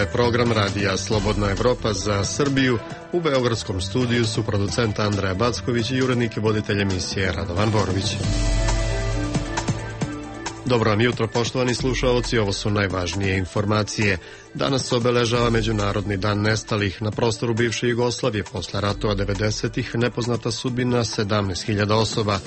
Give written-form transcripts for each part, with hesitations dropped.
je program radija Slobodna Evropa za Srbiju. U beogradskom studiju su producent Andreja Backović i urednik i voditelj emisije Radovan Borović. Dobro vam jutro, poštovani slušaoci, ovo su najvažnije informacije. Danas se obeležava Međunarodni dan nestalih. Na prostoru bivše Jugoslavije posle ratova 90-ih nepoznata sudbina 17.000 osoba.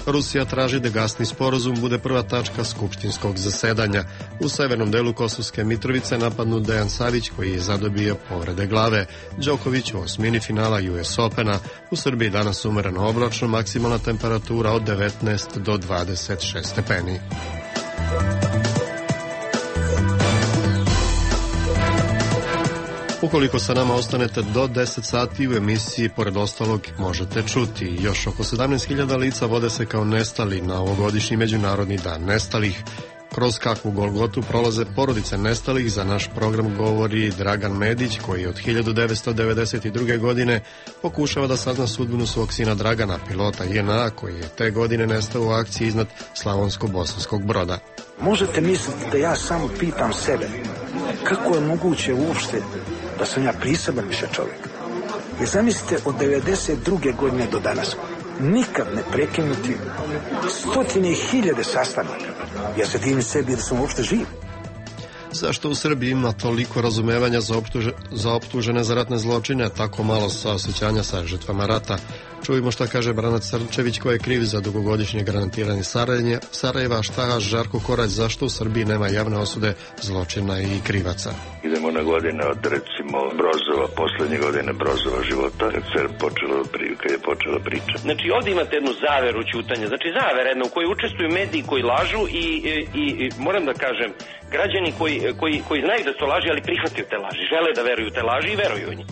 Rusija traži da gasni sporazum bude prva tačka skupštinskog zasedanja. U severnom delu Kosovske Mitrovice napadnut Dejan Savić koji je zadobio povrede glave. Đoković u osmini finala US Opena. U Srbiji danas umereno oblačno, maksimalna temperatura od 19 do 26 stepeni. Ukoliko sa nama ostanete do 10 sati u emisiji, pored ostalog možete čuti. Još oko 17.000 lica vode se kao nestali na ovogodišnji Međunarodni dan nestalih. Kroz kakvu golgotu prolaze porodice nestalih, za naš program govori Dragan Medić, koji od 1992. godine pokušava da sazna sudbinu svog sina Dragana, pilota JNA, koji je te godine nestao u akciji iznad Slavonsko-Bosanskog Broda. Možete misliti da ja samo pitam sebe kako je moguće uopšte da sam ja priseban više čovjek. I zamislite, od 92. godine do danas nikad ne prekinuti stotine i hiljade sastanaka. Ja se divim sebi da sam uopšte živ. Zašto u Srbiji ima toliko razumevanja za optužene za ratne zločine, tako malo saosećanja sa žrtvama rata? Čujemo šta kaže Branac Srčević, koji je kriv za dugogodišnje granatiranje Sarajeva, šta Žarko Korać, zašto u Srbiji nema javne osude zločina i krivaca. Idemo na godine od, recimo, Brozova, poslednje godine Brozova života, kad je počela priča. Znači, ovdje imate jednu zaveru ćutanja, znači zavera jedna u kojoj učestvuju mediji koji lažu i moram da kažem, građani koji znaju da to laži, ali prihvataju te laži, žele da veruju te laži i veruju u njih.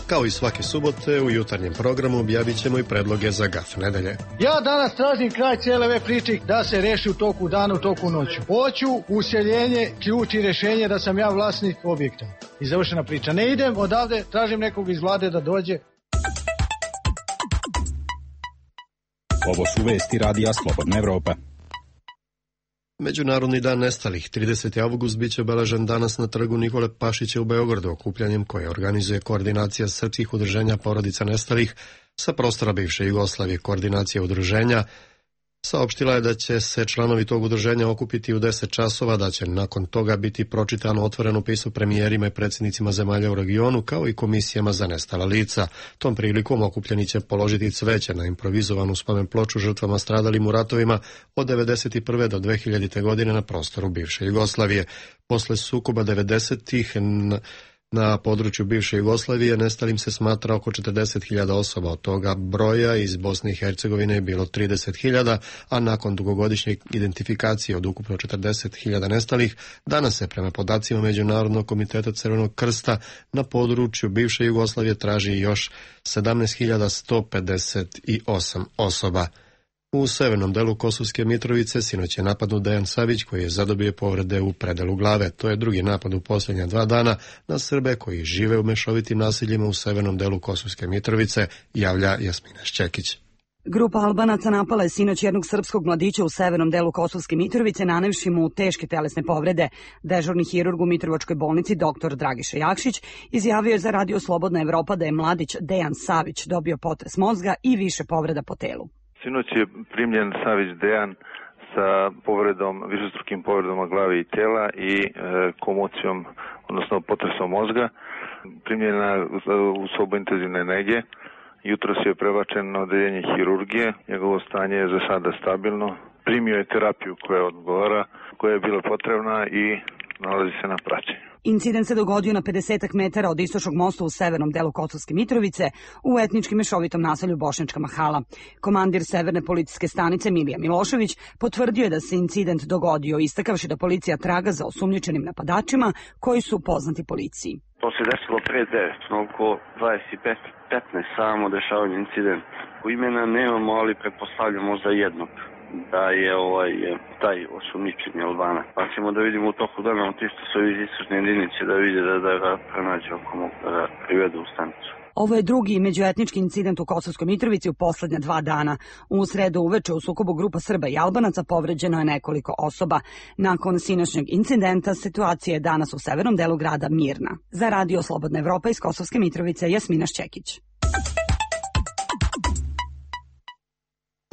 Kao i svake subote, u jutarnjem programu objavit ćemo i predloge za gaf nedelje. Ja danas tražim kraj cijele ove priče da se reši u toku dana, u toku noću. Hoću useljenje, ključ i rešenje da sam ja vlasnik objekta. I završena priča. Ne idem odavde, tražim nekog iz vlade da dođe. Ovo su vesti radija Slobodna Evropa. Međunarodni dan nestalih, 30. avgust, biće obeležen danas na trgu Nikole Pašića u Beogradu, okupljanjem koje organizuje Koordinacija srpskih udruženja porodica nestalih sa prostora bivše Jugoslavije. Koordinacija udruženja saopštila je da će se članovi tog udruženja okupiti u 10 časova, da će nakon toga biti pročitano otvoreno pismo premijerima i predsjednicima zemalja u regionu, kao i komisijama za nestala lica. Tom prilikom okupljeni će položiti cveće na improvizovanu spomen ploču žrtvama stradalim u ratovima od 1991. do 2000. godine na prostoru bivše Jugoslavije. Posle sukoba 90-ih na području bivše Jugoslavije nestalim se smatra oko 40.000 osoba, od toga broja iz Bosne i Hercegovine je bilo 30.000, a nakon dugogodišnje identifikacije od ukupno 40.000 nestalih, danas se prema podacima Međunarodnog komiteta Crvenog krsta na području bivše Jugoslavije traži još 17.158 osoba. U severnom delu Kosovske Mitrovice sinoć je napadnut Dejan Savić koji je zadobio povrede u predelu glave. To je drugi napad u posljednja 2 dana na Srbe koji žive u mešovitim naseljima u severnom delu Kosovske Mitrovice, javlja Jasmina Šćekić. Grupa Albanaca napala je sinoć jednog srpskog mladića u severnom delu Kosovske Mitrovice, nanevši mu teške telesne povrede. Dežurni hirurg u Mitrovačkoj bolnici dr. Dragiša Jakšić izjavio je za radio Slobodna Evropa da je mladić Dejan Savić dobio potres mozga i više povreda po telu. Sinoć je primljen Savić Dejan sa višestrukim povredama glave i tela i komocijom, odnosno potresom mozga. Primljena u sobu intenzivne nege. Jutros je prebačen na odeljenje hirurgije. Njegovo stanje je za sada stabilno. Primio je terapiju koja odgovara, koja je bila potrebna i nalazi se na praćenju. Incident se dogodio na 50 metara od istočnog mosta u severnom delu Kosovske Mitrovice u etnički mešovitom naselju Bošnjačka Mahala. Komandir severne policijske stanice Milija Milošević potvrdio je da se incident dogodio, istakavši da policija traga za osumnjičenim napadačima koji su poznati policiji. To se desilo pre 9, oko 25-15 samo dešavanje incident. U imena nemamo, ali pretpostavljamo za jednog. da je taj osumnjičeni Albanac. Pa ćemo da vidimo u toku dana ti što su iz istražne jedinice da vide da ga pronađe oko mogu da ga privedu u stanicu. Ovo je drugi međuetnički incident u Kosovskoj Mitrovici u poslednja 2 dana. U sredu uveče u sukobu grupa Srba i Albanaca povređeno je nekoliko osoba. Nakon sinoćnjeg incidenta situacija je danas u severnom delu grada mirna. Za Radio Slobodna Evropa iz Kosovske Mitrovice, Jasmina Šćekić.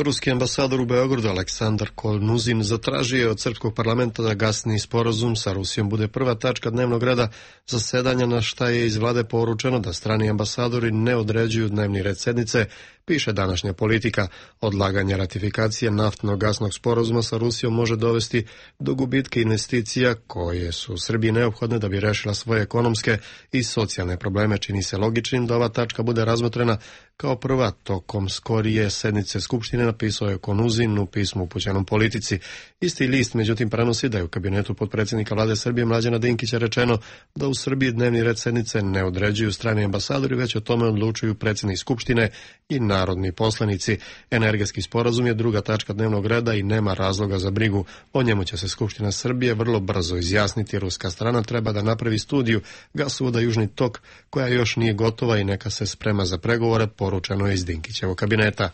Ruski ambasador u Beogradu Aleksandar Konuzin zatražio je od srpskog parlamenta da gasni sporazum sa Rusijom bude prva tačka dnevnog reda zasedanja, na šta je iz vlade poručeno da strani ambasadori ne određuju dnevni red sednice, piše današnja Politika. Odlaganje ratifikacije naftno-gasnog sporazuma sa Rusijom može dovesti do gubitka investicija koje su Srbiji neophodne da bi rešila svoje ekonomske i socijalne probleme. Čini se logičnim da ova tačka bude razmotrena kao prva tokom skorije sednice Skupštine, napisao je Konuzin u pismu upućenom Politici. Isti list, međutim, prenosi da je u kabinetu potpredsjednika vlade Srbije Mlađana Dinkića rečeno da u Srbiji dnevni red sednice ne određuju strani ambasadori, već o tome odlučuju predsjednik Skupštine i narodni poslanici. Energetski sporazum je druga tačka dnevnog reda i nema razloga za brigu. O njemu će se Skupština Srbije vrlo brzo izjasniti. Ruska strana treba da napravi studiju gasovoda Južni tok, koja još nije gotova i neka se sprema za pregovore, poručeno je iz Dinkićevog kabineta.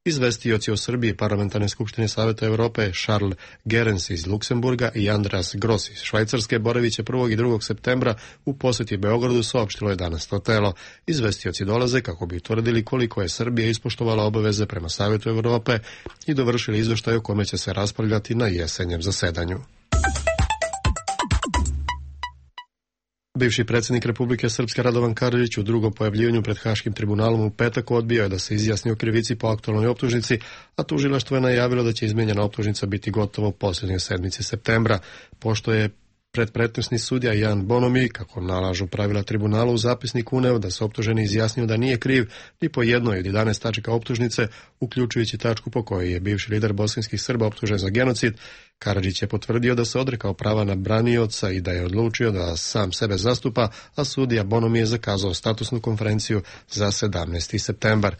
Izvestioci o Srbiji Parlamentarne skupštine Saveta Evrope Charles Gerens iz Luksemburga i Andreas Gross iz Švajcarske boraviće 1. i 2. septembra u posjeti Beogradu, saopštilo je danas to telo. Izvestioci dolaze kako bi utvrdili koliko je Srbija ispoštovala obaveze prema Savetu Evrope i dovršili izveštaj o kome će se raspravljati na jesenjem zasedanju. Bivši predsjednik Republike Srpske Radovan Karadžić u drugom pojavljivanju pred Haškim tribunalom u petak odbio je da se izjasni o krivici po aktualnoj optužnici, a tužilaštvo je najavilo da će izmijenjena optužnica biti gotova u posljednjoj sedmici septembra. Pošto je predpretnosni sudija Jan Bonomi, kako nalažu pravila tribunala, u zapisnik uneo da se optuženi izjasnio da nije kriv ni po jednoj od 11 tačaka optužnice, uključujući tačku po kojoj je bivši lider bosanskih Srba optužen za genocid. Karadžić je potvrdio da se odrekao prava na branioca i da je odlučio da sam sebe zastupa, a sudija Bonomi je zakazao statusnu konferenciju za 17. septembar.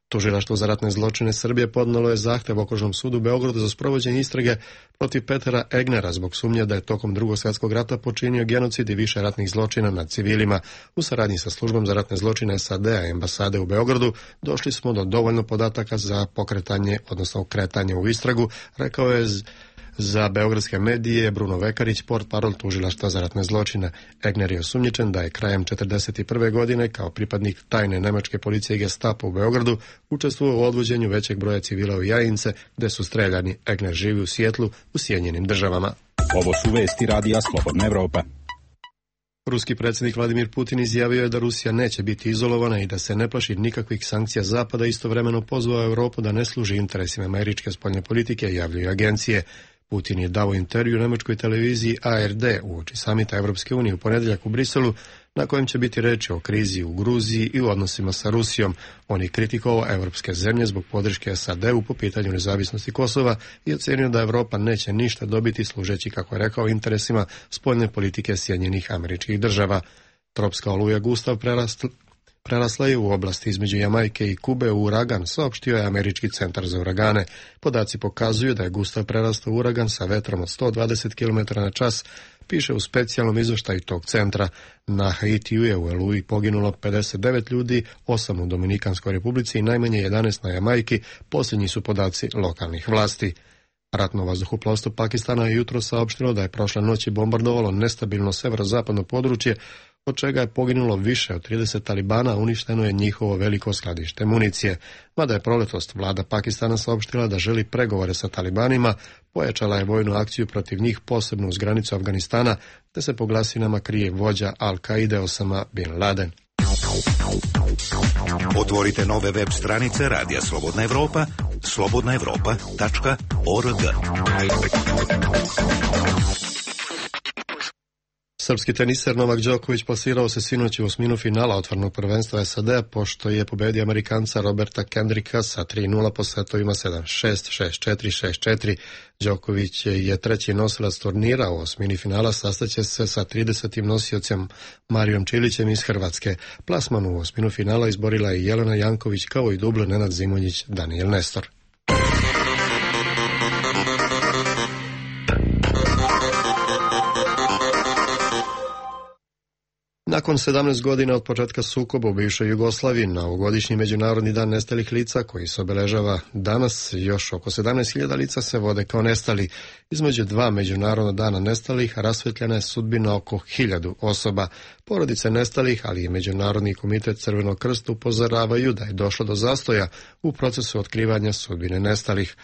Tužilaštvo za ratne zločine Srbije podnelo je zahtev Okružnom sudu u Beogradu za sprovođenje istrage protiv Petera Egnera zbog sumnje da je tokom Drugog svjetskog rata počinio genocid i više ratnih zločina nad civilima. U saradnji sa službom za ratne zločine SAD-a i ambasade u Beogradu došli smo do dovoljno podataka za pokretanje, odnosno kretanje u istragu, rekao je za beogradske medije Bruno Vekarić, portparol tužilaštva za ratne zločine. Egner je osumnjičen da je krajem 1941. godine kao pripadnik tajne nemačke policije i Gestapo u Beogradu učestvovao u odvođenju većeg broja civila u Jajince, gde su streljani. Egner živi u Sijetlu, u Sjedinjenim Državama. Ovo su vesti Radija Slobodna Evropa. Ruski predsjednik Vladimir Putin izjavio je da Rusija neće biti izolovana i da se ne plaši nikakvih sankcija Zapada, istovremeno pozvao Europu da ne služi interesima američke spoljne politike, javljaju agencije. Putin je dao intervju nemačkoj televiziji ARD uoči samita Evropske unije u ponedjeljak u Briselu, na kojem će biti reči o krizi u Gruziji i u odnosima sa Rusijom. On je kritikovao evropske zemlje zbog podrške SAD-u po pitanju nezavisnosti Kosova i ocenio da Evropa neće ništa dobiti služeći, kako je rekao, interesima spoljne politike Sjedinjenih Američkih Država. Tropska oluja Gustav prerasla je u oblasti između Jamajke i Kube u uragan, saopštio je Američki centar za uragane. Podaci pokazuju da je Gustav prerastao u uragan sa vetrom od 120 km na čas, piše u specijalnom izveštaju tog centra. Na Haitiju je u Eluji poginulo 59 ljudi, 8 u Dominikanskoj republici i najmanje 11 na Jamajki, posljednji su podaci lokalnih vlasti. Ratno vazduhoplovstvo Pakistana je jutro saopštilo da je prošle noći bombardovalo nestabilno severozapadno područje, od čega je poginulo više od 30 talibana, a uništeno je njihovo veliko skladište municije. Mada je proletost vlada Pakistana saopštila da želi pregovore sa talibanima, pojačala je vojnu akciju protiv njih, posebno uz granicu Afganistana, te se po glasinama krije vođa Al-Kaide Osama bin Laden. Otvorite nove web stranice Radija Slobodna Evropa, slobodnaevropa.org. Srpski teniser Novak Đoković plasirao se sinoć u osminu finala otvorenog prvenstva SAD-a, pošto je pobedio Amerikanca Roberta Kendricka sa 3-0 po setovima 7-6, 6-4, 6-4. Đoković je treći nosilac turnira, u osmini finala sastaće se sa 30. nosiocem Marijom Čilićem iz Hrvatske. Plasman u osminu finala izborila je Jelena Janković, kao i dublo Nenad Zimonjić, Daniel Nestor. Nakon 17 godina od početka sukoba u bivšoj Jugoslaviji, na ovogodišnji Međunarodni dan nestalih lica, koji se obeležava danas, još oko 17.000 lica se vode kao nestali. Između dva Međunarodna dana nestalih rasvetljena je sudbina oko 1000 osoba. Porodice nestalih, ali i Međunarodni komitet Crvenog krsta upozoravaju da je došlo do zastoja u procesu otkrivanja sudbine nestalih.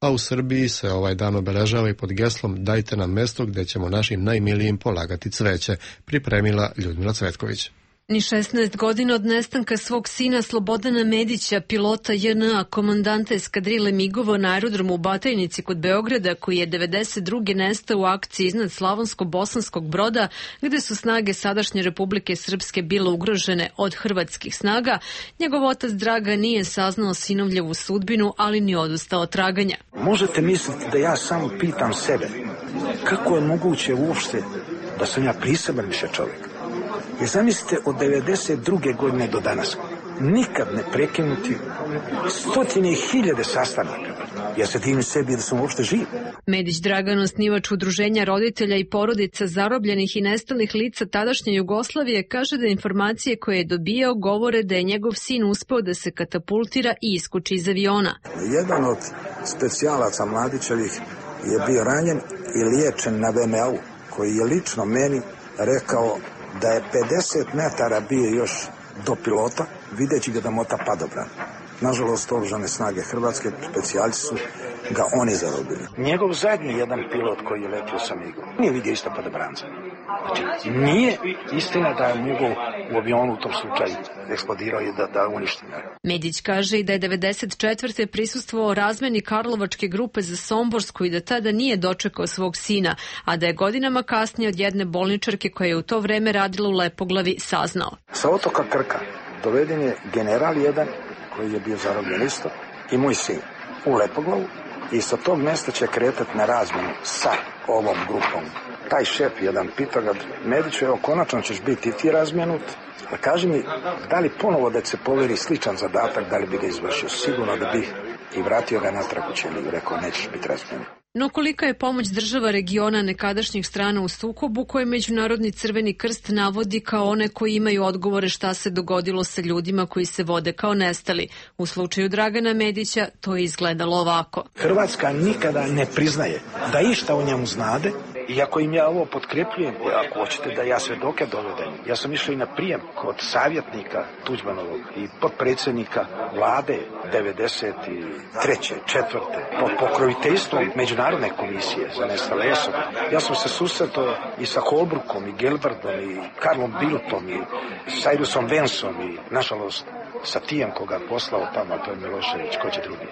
A u Srbiji se ovaj dan obeležava i pod geslom "Dajte nam mesto gde ćemo našim najmilijim polagati cveće", pripremila Ljudmila Cvetković. Ni 16 godina od nestanka svog sina Slobodana Medića, pilota JNA, komandanta eskadrile migova na aerodromu u Batajnici kod Beograda, koji je 92. nestao u akciji iznad Slavonsko-Bosanskog Broda, gde su snage sadašnje Republike Srpske bile ugrožene od hrvatskih snaga, njegov otac Draga nije saznao sinovljevu sudbinu, ali ni odustao od traganja. Možete misliti da ja samo pitam sebe kako je moguće uopšte da sam ja priseban više čovjek. I zamislite, od 92. godine do danas nikad ne prekinuti stotine i hiljade sastanaka. Ja se divim sebi da sam uopšte živ. Medić Dragan, osnivač udruženja roditelja i porodica zarobljenih i nestalih lica tadašnje Jugoslavije, kaže da informacije koje je dobijao govore da je njegov sin uspeo da se katapultira i iskuči iz aviona. Jedan od specijalaca Mladićevih je bio ranjen i liječen na VMA-u, koji je lično meni rekao da je 50 metara bio još do pilota, videći ga da mota padobran. Nažalost, oružane snage Hrvatske, specijalci su ga oni zarobili. Njegov zadnji jedan pilot koji je letio sa migom nije vidio isto padobranca. Znači, nije istina da je mogao u avionu u tom slučaju eksplodirao i da uništi. Medić kaže i da je 94. prisustvovao razmeni Karlovačke grupe za Somborsku i da tada nije dočekao svog sina, a da je godinama kasnije od jedne bolničarke koja je u to vreme radila u Lepoglavi saznao. Sa otoka Krka doveden je general jedan koji je bio zarobljen isto i moj sin u Lepoglavu i sa tog mesta će kretati na razmenu sa ovom grupom. Taj šef jedan pitao ga, Mediću, evo konačno ćeš biti i ti razmenut, a kaži mi, da li ponovo da se poveri sličan zadatak, da li bi ga izvršio? Sigurno da bih i vratio ga natrag u Ćeliju, rekao nećeš biti razmenut. No kolika je pomoć država regiona nekadašnjih strana u sukobu koje Međunarodni Crveni krst navodi kao one koji imaju odgovore šta se dogodilo sa ljudima koji se vode kao nestali. U slučaju Dragana Medića to je izgledalo ovako. Hrvatska nikada ne priznaje da išta o njemu znade, i ako im ja ovo potkrepljujem, ako hoćete da ja svedoke dovedem, ja sam išao i na prijem kod savjetnika Tuđmanovog i potpredsjednika vlade 93. 4. pod pokroviteljstvom Međunarodne komisije za nestale osobe. Ja sam se susretao i sa Holbrookom i Gelbardom i Karlom Bildtom i Cyrusom Vensom i, nažalost, sa Tijem koga poslao tamo, to je Milošević, ko će drugi.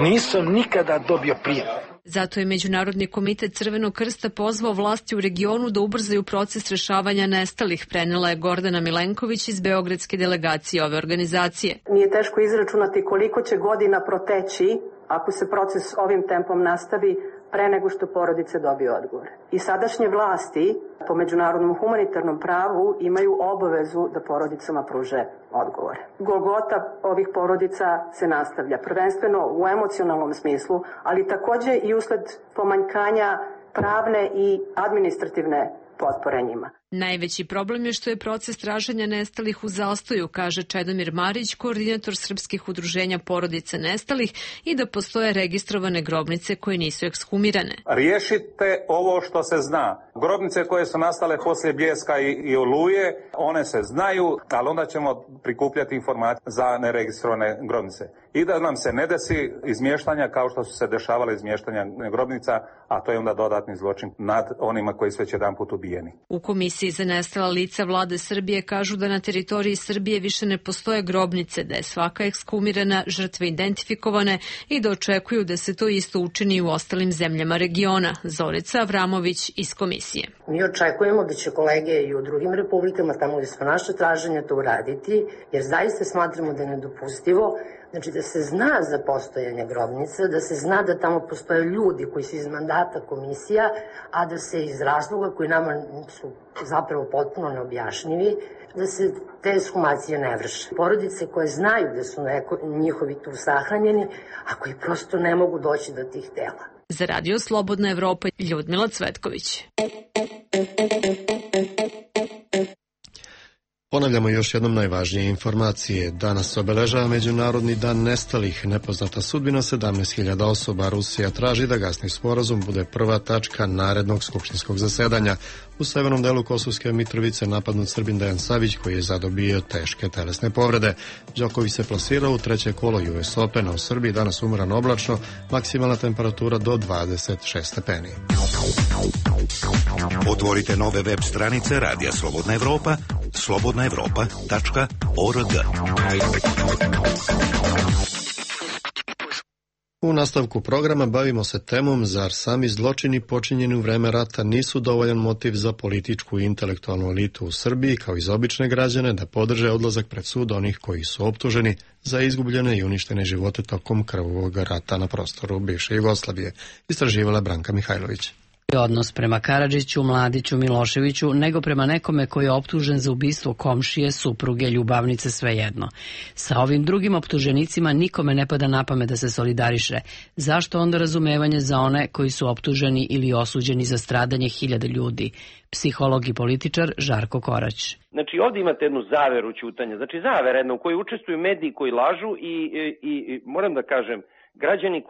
Nisam nikada dobio prijem. Zato je Međunarodni komitet Crvenog krsta pozvao vlasti u regionu da ubrzaju proces rešavanja nestalih, prenela je Gordana Milenković iz beogradske delegacije ove organizacije. Nije teško izračunati koliko će godina proteći ako se proces ovim tempom nastavi pre nego što porodice dobiju odgovor. I sadašnje vlasti po međunarodnom humanitarnom pravu imaju obavezu da porodicama pruže odgovor. Golgota ovih porodica se nastavlja, prvenstveno u emocionalnom smislu, ali takođe i usled pomanjkanja pravne i administrativne potpore njima. Najveći problem je što je proces traženja nestalih u zastoju, kaže Čedomir Marić, koordinator srpskih udruženja porodice nestalih, i da postoje registrovane grobnice koje nisu ekshumirane. Riješite ovo što se zna. Grobnice koje su nastale poslije Bljeska i Oluje, one se znaju, ali onda ćemo prikupljati informacije za neregistrovane grobnice. I da nam se ne desi izmještanja kao što su se dešavale izmještanja grobnica, a to je onda dodatni zločin nad onima koji su već jedanput ubijeni. U Komisiji za nestala lica vlade Srbije kažu da na teritoriji Srbije više ne postoje grobnice, da je svaka ekshumirana, žrtve identifikovane i da očekuju da se to isto učini u ostalim zemljama regiona. Zorica Avramović iz Komisije. Mi očekujemo da će kolege i u drugim republikama, tamo gde su naše traženja, to uraditi, jer zaista smatramo da je nedopustivo. Znači da se zna za postojanje grobnica, da se zna da tamo postoje ljudi koji su iz mandata komisija, a da se iz razloga koji nama su zapravo potpuno neobjašnjivi, da se te ekshumacije ne vrše. Porodice koje znaju da su njihovi tu sahranjeni, a koji prosto ne mogu doći do tih tela. Za Radio Slobodna Evropa, Ljudmila Cvetković. Ponavljamo još jednom najvažnije informacije. Danas se obeležava Međunarodni dan nestalih. Nepoznata sudbina 17.000 osoba. Rusija traži da gasni sporazum bude prva tačka narednog skupštinskog zasedanja. U severnom delu Kosovske Mitrovice napadnut Srbin Dejan Savić, koji je zadobio teške telesne povrede. Đoković se plasirao u treće kolo US Opena. U Srbiji danas umeran oblačno, maksimalna temperatura do 26 stepeni. Otvorite nove web stranice Radija Slobodna Evropa, slobodnaevropa.org. U nastavku programa bavimo se temom zar sami zločini počinjeni u vreme rata nisu dovoljan motiv za političku i intelektualnu elitu u Srbiji, kao i za obične građane, da podrže odlazak pred sud onih koji su optuženi za izgubljene i uništene živote tokom krvavog rata na prostoru bivše Jugoslavije, istraživala Branka Mihajlović. Odnos prema Karadžiću, Mladiću, Miloševiću, nego prema nekome koji je optužen za ubistvo komšije, supruge, ljubavnice, svejedno. Sa ovim drugim optuženicima nikome ne pada na pamet da se solidariše. Zašto onda razumevanje za one koji su optuženi ili osuđeni za stradanje hiljada ljudi? Psiholog i političar Žarko Korać. Znači ovdje imate jednu zaveru ćutanja, znači zavera jedna u kojoj učestvuju mediji koji lažu i moram da kažem, građani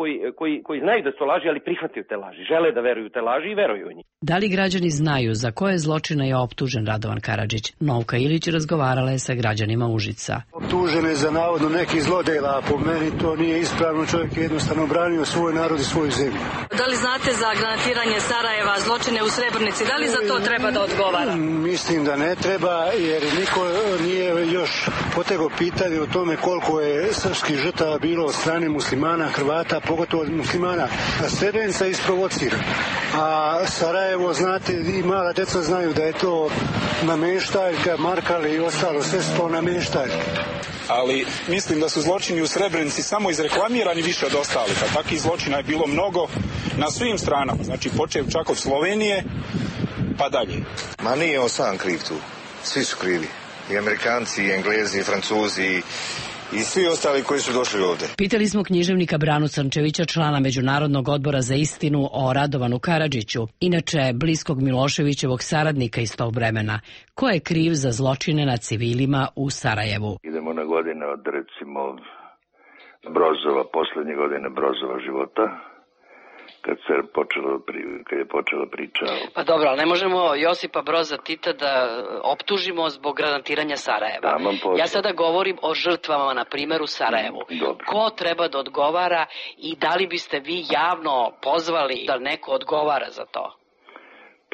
koji znaju da su laži, ali prihvataju te laži, žele da veruju te laži i veruju u njih. Da li građani znaju za koje zločine je optužen Radovan Karadžić? Novka Ilić razgovarala je sa građanima Užica. Optužen je za navodno neki zlodela, a po meni to nije ispravno, čovjek je jednostavno branio svoj narod i svoju zemlju. Da li znate za granatiranje Sarajeva, zločine u Srebrnici, da li za to treba da odgovara? Mislim da ne treba, jer niko nije još potegao pitanje o tome koliko je srpskih žrtava bilo od strane muslimana, Hrvata, pogotovo od muslimana. A Srebrenica je isprovocirana. A Sarajevo, znate, i mala deca znaju da je to nameštaljka, Markali i ostalo, sve su to nameštaljke. Ali mislim da su zločini u Srebrenici samo izreklamirani više od ostalih, a takvih zločina je bilo mnogo na svim stranama, znači počev čak od Slovenije pa dalje. Ma nije on sam kriv tu, svi su krivi, i Amerikanci, i Englezi, i Francuzi, i svi ostali koji su došli ovdje. Pitali smo književnika Branu Crnčevića, člana Međunarodnog odbora za istinu, o Radovanu Karadžiću, inače bliskog Miloševićevog saradnika iz tog vremena. Ko je kriv za zločine nad civilima u Sarajevu? Idemo na godine od, recimo, Brozova, poslednje godine Brozova života, kad je počela priča. Pa dobro, ali ne možemo Josipa Broza Tita da optužimo zbog granatiranja Sarajeva. Ja sada govorim o žrtvama, na primjer, u Sarajevu. Dobro. Ko treba da odgovara i da li biste vi javno pozvali da neko odgovara za to?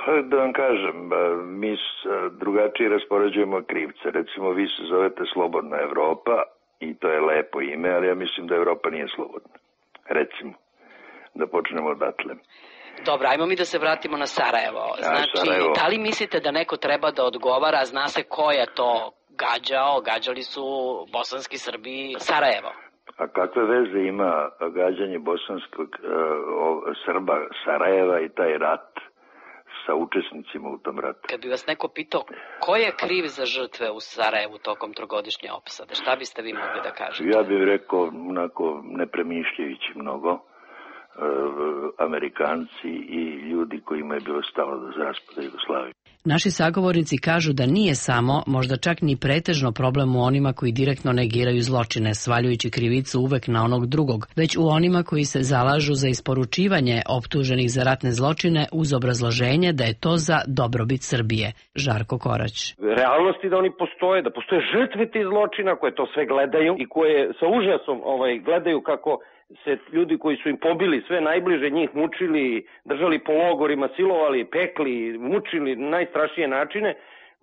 Pa da vam kažem, mi drugačije raspoređujemo krivce. Recimo, vi se zovete Slobodna Evropa i to je lepo ime, ali ja mislim da Evropa nije slobodna. Recimo. Da počnemo odatle. Dobro, ajmo mi da se vratimo na Sarajevo. Znači, Sarajevo. Da li mislite da neko treba da odgovara, zna se ko je to gađao, gađali su bosanski Srbi Sarajevo? A kakve veze ima gađanje bosanskog Srba Sarajeva i taj rat sa učesnicima u tom ratu? Kad bi vas neko pitao ko je kriv za žrtve u Sarajevu tokom trogodišnje opsade, šta biste vi mogli da kažete? Ja bih rekao, onako, ne premišljajući mnogo, Amerikanci i ljudi kojima je bilo stalo do raspada Jugoslavije. Naši sagovornici kažu da nije samo, možda čak ni pretežno problem u onima koji direktno negiraju zločine, svaljujući krivicu uvek na onog drugog, već u onima koji se zalažu za isporučivanje optuženih za ratne zločine uz obrazloženje da je to za dobrobit Srbije. Žarko Korać. Realnosti da oni postoje, da postoje žrtve tih zločina koje to sve gledaju i koje sa užasom gledaju kako se ljudi koji su im pobili sve najbliže njih mučili, držali po logorima, silovali, pekli, mučili na najstrašnije načine,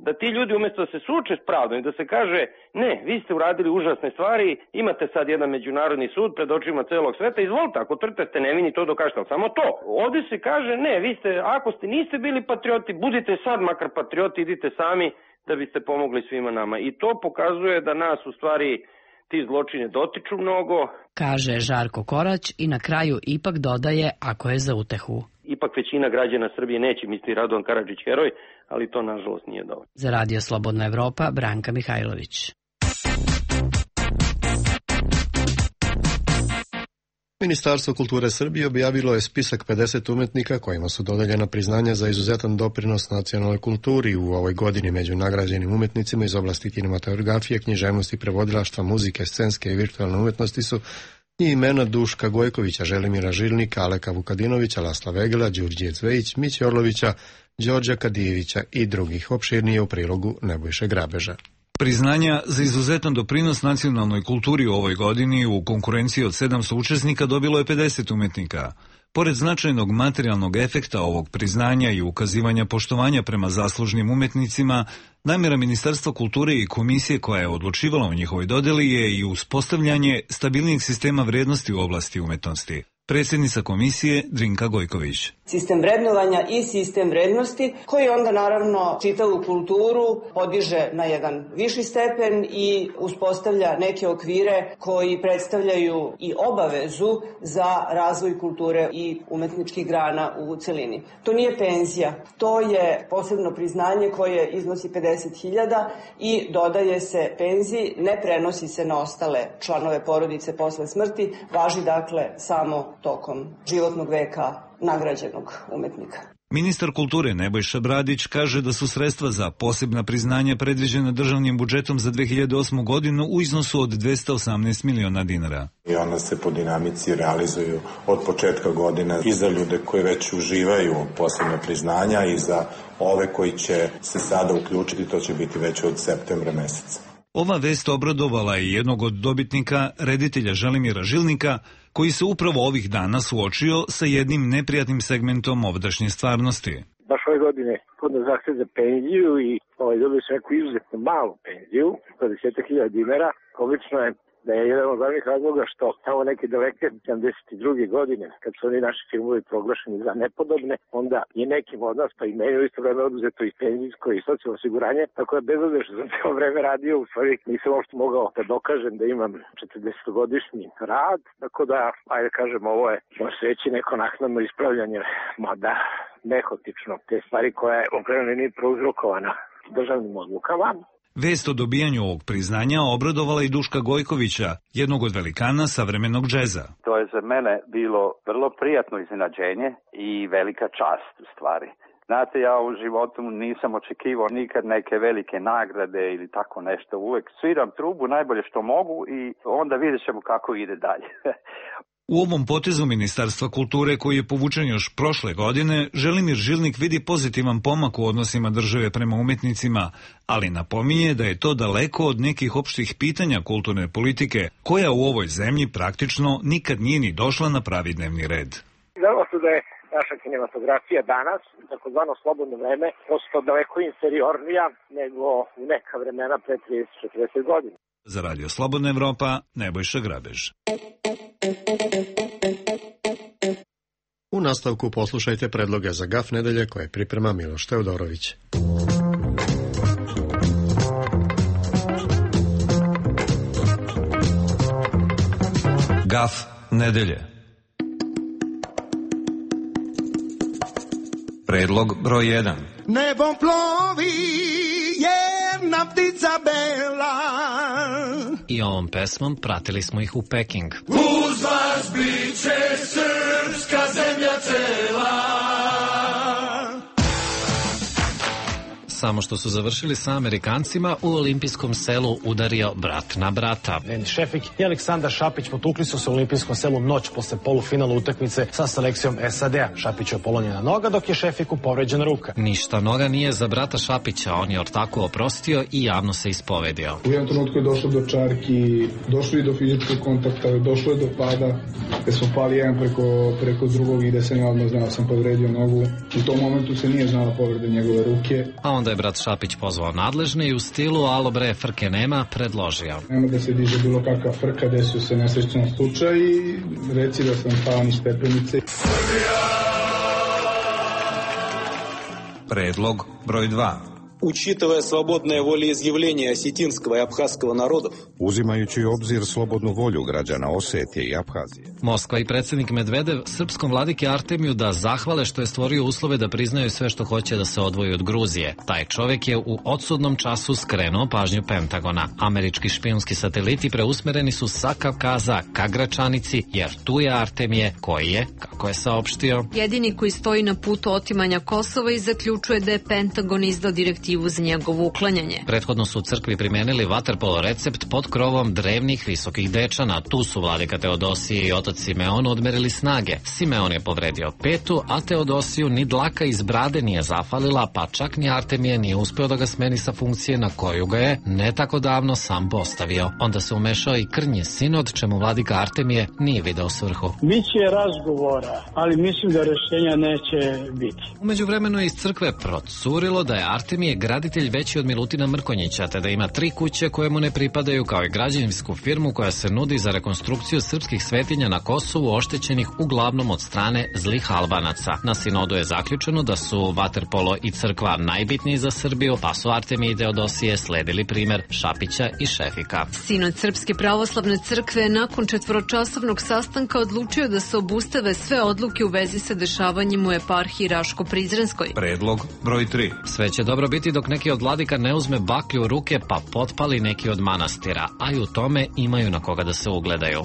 da ti ljudi umjesto da se suoče s pravdom i da se kaže ne, vi ste uradili užasne stvari, imate sad jedan međunarodni sud pred očima celog sveta, izvolite, ako tvrdite ste nevini, to dokažete, ali samo to. Ovdje se kaže ne, vi ste, ako niste bili patrioti, budite sad makar patrioti, idite sami da biste pomogli svima nama. I to pokazuje da nas u stvari ti zločine dotiču mnogo. Kaže Žarko Korać i na kraju ipak dodaje ako je za utehu. Ipak većina građana Srbije neće misliti Radovan Karadžić heroj, ali to nažalost nije dovoljno. Za Radio Slobodna Evropa, Branka Mihajlović. Ministarstvo kulture Srbije objavilo je spisak 50 umetnika kojima su dodeljena priznanja za izuzetan doprinos nacionalnoj kulturi u ovoj godini. Među nagrađenim umetnicima iz oblasti kinematografije, književnosti, prevodilaštva, muzike, scenske i virtualne umetnosti su i imena Duška Gojkovića, Želimira Žilnika, Aleka Vukadinovića, Lasla Vegela, Đurđije Cvejić, Miće Orlovića, Đorđa Kadijevića i drugih. Opširnije u prilogu Nebojše Grabeža. Priznanja za izuzetan doprinos nacionalnoj kulturi u ovoj godini u konkurenciji od 700 učesnika dobilo je 50 umetnika. Pored značajnog materijalnog efekta ovog priznanja i ukazivanja poštovanja prema zaslužnim umetnicima, namjera Ministarstva kulture i komisije koja je odlučivala o njihovoj dodeli je i uspostavljanje stabilnijeg sistema vrednosti u oblasti umetnosti. Predsjednica komisije Drinka Gojković. Sistem vrednovanja i sistem vrednosti koji onda naravno čitavu kulturu podiže na jedan viši stepen i uspostavlja neke okvire koji predstavljaju i obavezu za razvoj kulture i umetničkih grana u celini. To nije penzija, to je posebno priznanje koje iznosi 50.000 i dodaje se penziji, ne prenosi se na ostale članove porodice posle smrti, važi dakle samo tokom životnog veka nagrađenog umetnika. Ministar kulture Nebojša Bradić kaže da su sredstva za posebna priznanja predviđena državnim budžetom za 2008. godinu u iznosu od 218 miliona dinara. I ona se po dinamici realizuju od početka godine i za ljude koji već uživaju posebna priznanja i za ove koji će se sada uključiti, to će biti već od septembra meseca. Ova vest obradovala je jednog od dobitnika, reditelja Želimira Žilnika, koji se upravo ovih dana suočio sa jednim neprijatnim segmentom ovdašnje stvarnosti. Baš ove godine podno zahtev za penziju i dobio sam neku izuzetno malu penziju, 20.000 dinara. Obično je da je jedan od glavnih razloga što tamo neke daleke 72. godine, kad su oni naši filmovi proglašeni za nepodobne, onda je nekim od nas, pa i meni u isto vreme oduzeto i penzijsko i socijalno osiguranje, tako da bez obzira što sam cijelo vreme radio, u stvari nisam uopšte mogao da dokažem da imam 40-godišnji rad, tako da, ajde kažem, ovo je, može se reći, neko naknadno ispravljanje, mada nehotično, te stvari koja je okreno nije prouzrokovana državnim odlukama. Vest o dobijanju ovog priznanja obradovala i Duška Gojkovića, jednog od velikana savremenog džeza. To je za mene bilo vrlo prijatno iznenađenje i velika čast u stvari. Znate, ja u životu nisam očekivao nikad neke velike nagrade ili tako nešto. Uvek sviram trubu najbolje što mogu i onda vidjet ćemo kako ide dalje. U ovom potezu Ministarstva kulture, koji je povučen još prošle godine, Želimir Žilnik vidi pozitivan pomak u odnosima države prema umetnicima, ali napominje da je to daleko od nekih opštih pitanja kulturne politike, koja u ovoj zemlji praktično nikad nije ni došla na pravi dnevni red. Znamo se da je naša kinematografija danas, takozvano slobodno vreme, prosto daleko inferiornija nego u neka vremena pre 30-40 godina. Za Radio Slobodna Evropa, Nebojša Grabež. U nastavku poslušajte predloge za GAF nedelje koje priprema Miloš Teodorović. GAF nedelje. Predlog broj 1. Nebom plovi jedna ptica bela. I ovom pesmom pratili smo ih u Peking. Uz vas biće srpska zemlja cela. Samo što su završili sa Amerikancima, u olimpijskom selu udario brat na brata. Šefik i Aleksandar Šapić potukli su se u olimpijskom selu noć posle polufinala utakmice sa selekcijom SAD-a. Šapiću je polomljena noga, dok je Šefiku povređena ruka. Ništa noga nije za brata Šapića, on je ortaku oprostio i javno se ispovedio. U jednom trenutku je došlo do čarki, došlo i do fizičkog kontakta, došlo je do pada, gde smo pali jedan preko drugog i gde sam ja odmah znao sam povredio nogu. U tom momentu se nije znala povreda njegove ruke. A onda je brat Šapić pozvao nadležne i u stilu alo bre, frke nema, predložio. Nema da se diže bilo kakva frka, desio se nesrećan slučaj i reci da sam pao niz stepenice. Предлог брой 2. Учитывая свободное волеизъявление осетинского и абхазского народов, uzimajući u obzir slobodnu volju građana Osetije i Abhazije. Moskva i predsjednik Medvedev srpskom vladiki Artemiju da zahvale što je stvorio uslove da priznaju sve što hoće da se odvoji od Gruzije. Taj čovjek je u odsudnom času skrenuo pažnju Pentagona. Američki špijunski sateliti preusmereni su sa Kavkaza ka Gračanici, jer tu je Artemije koji je, kako je saopštio, jedini koji stoji na putu otimanja Kosova i zaključuje da je Pentagon izdao direktivu za njegovo uklanjanje. Prethodno su u crkvi primenili vaterpolo recept pod krovom drevnih visokih dečana. Tu su vladika Teodosije i otac Simeon odmerili snage. Simeon je povredio petu, a Teodosiju ni dlaka iz brade nije zafalila, pa čak ni Artemije nije uspeo da ga smeni sa funkcije na koju ga je ne tako davno sam postavio. Onda se umešao i krnji sinod, čemu vladika Artemije nije video svrhu. Biće razgovora, ali mislim da rešenja neće biti. Umeđu vremenu je iz crkve procurilo da je Artemije graditelj veći od Milutina Mrkonjića, te da ima 3 kuće koje mu ne pripadaju, kao i građevinsku firmu koja se nudi za rekonstrukciju srpskih svetinja na Kosovu oštećenih uglavnom od strane zlih Albanaca. Na sinodu je zaključeno da su vaterpolo i crkva najbitniji za Srbiju, pa su Artemije i Teodosije sledili primer Šapića i Šefika. Sinod Srpske pravoslavne crkve nakon 4-časovnog sastanka odlučio da se obustave sve odluke u vezi sa dešavanjem u eparhiji Raško-Prizrenskoj. Predlog broj 3. Sve će dobro biti dok neki od vladika ne uzme baklju u ruke pa potpali neki od manastira, a i u tome imaju na koga da se ugledaju.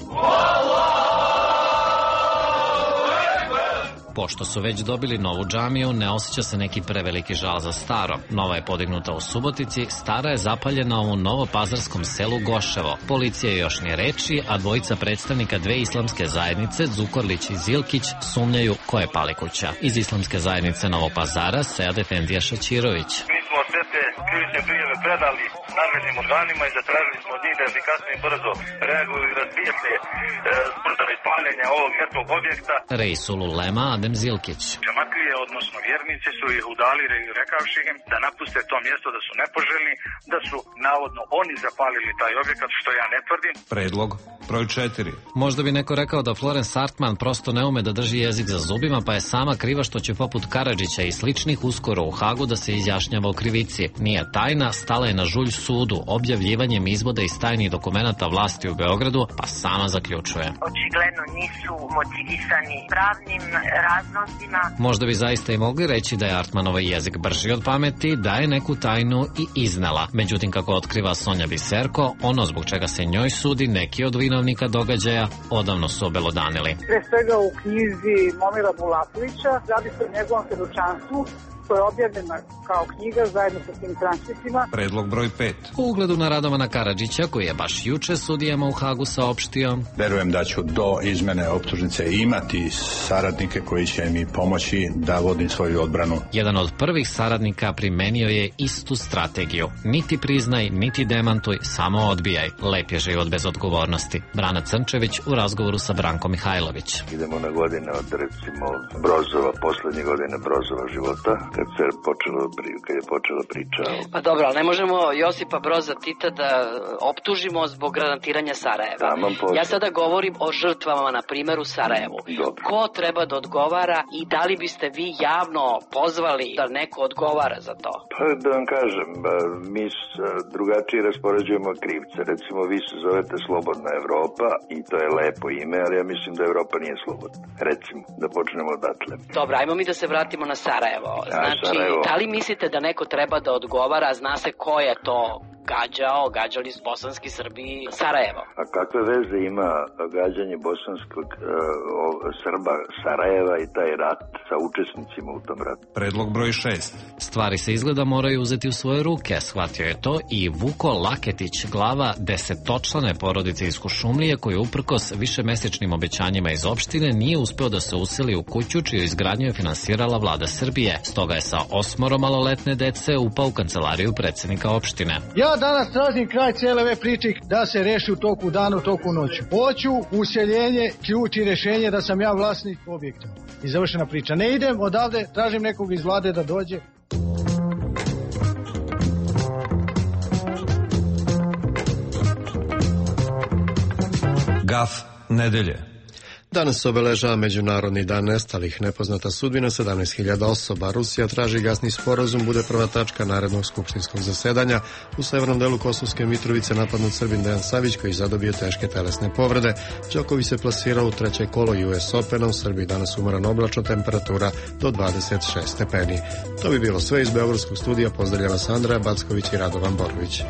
Pošto su već dobili novu džamiju, ne osjeća se neki preveliki žal za staro. Nova je podignuta u Subotici, stara je zapaljena u novopazarskom selu Goševo. Policija još ni reči, a dvojica predstavnika 2 islamske zajednice, Zukorlić i Zilkić, sumnjaju ko je pali kuća. Iz islamske zajednice Novog Pazara, Sead Efendija Šaćirović. Mi smo sve te krivične prijave predali nadležnim organima i zatražili smo od njih da efikasno i brzo reaguju i razbijete sprdove paljenja ovog vjerskog objekta. Rejsul Ulema Adem Zilkić. Džamatlije, odnosno vjernici, su ih udalili rekavši im da napuste to mjesto, da su nepoželjni, da su navodno oni zapalili taj objekat, što ja ne tvrdim. Predlog broj 4. Možda bi neko rekao da Florence Hartman prosto ne ume da drži jezik za zubima, pa je sama kriva što će poput Karadžića i sličnih uskoro u Hagu da se izjašnjava o krivici. Nije tajna, stala je na žulj sudu objavljivanjem izvoda iz tajnih dokumenata vlasti u Beogradu, pa sama zaključuje. Očigledno nisu motivisani pravnim razlozima. Možda bi zaista i mogli reći da je Hartmanov jezik brži od pameti, da je neku tajnu i iznela. Međutim, kako otkriva Sonja Biserko, ono zbog čega se njoj sudi, neki od vinovnika događaja odavno su obelodanili. Pre svega u knjizi Momira Bulakovića, radi se o njegovom svedočanstvu, koja je objavljena kao knjiga zajedno sa tim transkriptima. Predlog broj 5. U ugledu na Radovana Karadžića, koji je baš juče sudijama u Hagu saopštio: verujem da ću do izmene optužnice imati saradnike koji će mi pomoći da vodim svoju odbranu. Jedan od prvih saradnika primenio je istu strategiju. Niti priznaj, niti demantuj, samo odbijaj. Lep je život bez odgovornosti. Brana Crnčević u razgovoru sa Brankom Mihajlović. Idemo na godine od, recimo, Brozova, poslednje godine Brozova života, kad je počela priča. Pa dobro, ali ne možemo Josipa Broza Tita da optužimo zbog granatiranja Sarajeva. Ja sada govorim o žrtvama, na primjer, u Sarajevu. Dobro. Ko treba da odgovara i da li biste vi javno pozvali da neko odgovara za to? Pa da vam kažem, mi drugačije raspoređujemo krivce. Recimo, vi se zovete Slobodna Evropa i to je lepo ime, ali ja mislim da Evropa nije slobodna. Recimo, da počnemo odatle. Dobro, ajmo mi da se vratimo na Sarajevo. Znači, da li mislite da neko treba da odgovara, zna se ko je to gađali s bosanski Srbi Sarajevo? A kakve veze ima gađanje bosanskog Srba Sarajeva i taj rat sa učesnicima u tom ratu? Predlog broj 6. Stvari se izgleda moraju uzeti u svoje ruke, shvatio je to i Vuko Laketić, glava 10-člane porodice iz Kuršumlije, koji uprkos višemesečnim obećanjima iz opštine nije uspeo da se useli u kuću čiju izgradnju je finansirala vlada Srbije. Stoga je sa 8 maloletne dece upao u kancelariju predsjednika opštine. Ja danas tražim kraj cijele ove priče da se reši u toku dana, u toku noću. Hoću useljenje, ključ i rešenje da sam ja vlasnik objekta. I završena priča. Ne idem odavde, tražim nekog iz vlade da dođe. Gaf nedelje. Danas se obeležava Međunarodni dan nestalih. Nepoznata sudbina 17.000 osoba. Rusija traži gasni sporazum, bude prva tačka narednog skupštinskog zasedanja. U severnom delu Kosovske Mitrovice napadnut Srbin Dejan Savić koji zadobio teške telesne povrede. Đoković se plasirao u treće kolo US Opena. U Srbiji danas umoran oblačno, temperatura do 26 stepeni. To bi bilo sve iz Beogradskog studija. Pozdravlja vas Andreja Backović i Radovan Borović.